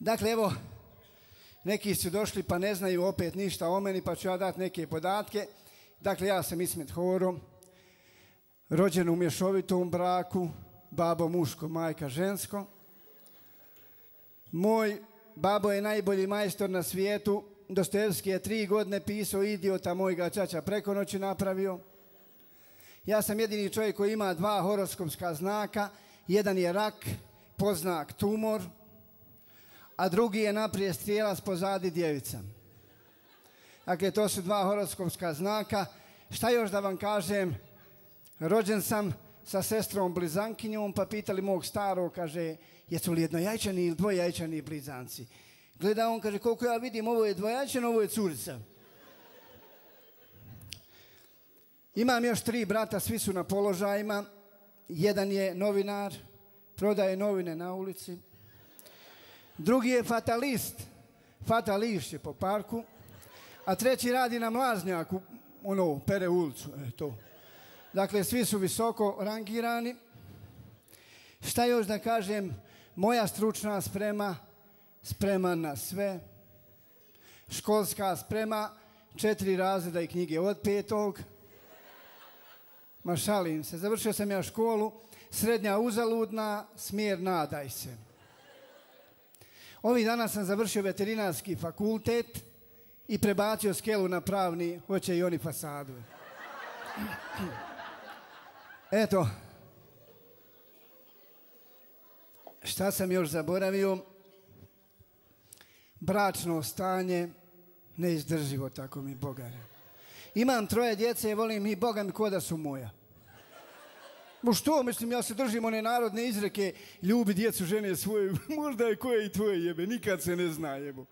Dakle, evo, neki su došli pa ne znaju opet ništa o meni, pa ću ja dati neke podatke. Dakle, ja sam Ismet Horo, rođen u mješovitom braku, babo muško, majka žensko. Moj babo je najbolji majstor na svijetu. Dostojevski je 3 godine pisao Idiota, moj ga čača preko noći napravio. Ja sam jedini čovjek koji ima 2 horoskopska znaka. Jedan je rak, podznak tumor, a drugi je naprijed strijelac, pozadi djevica. Dakle, to su 2 horoskopska znaka. Šta još da vam kažem? Rođen sam sa sestrom blizankinjom, pa pitali mog starog, kaže, jesu li jednojajčani ili dvojajčani blizanci? Gleda on, kaže, koliko ja vidim, ovo je dvojajčan, ovo je curica. Imam još 3 brata, svi su na položajima. Jedan je novinar, prodaje novine na ulici. Drugi je fatalist, fatališće po parku. A treći radi na mlaznjaku, pere ulicu, to. Dakle, svi su visoko rangirani. Šta još da kažem? Moja stručna sprema, spreman na sve. Školska sprema, 4 razreda i knjige od 5. Ma šalim se, završio sam ja školu, srednja uzaludna, smjer nadaj se. Ovih dana sam završio veterinarski fakultet i prebacio skelu na pravni, hoće i oni fasadu. Eto, šta sam još zaboravio? Bračno stanje, neizdrživo, tako mi Boga. Imam 3 djece i volim i Boga mi ko da su moja. Što, mislim, ja se držim one narodne izreke, ljubi djecu žene svoje, možda je koje i tvoje jebe, nikad se ne zna jebo.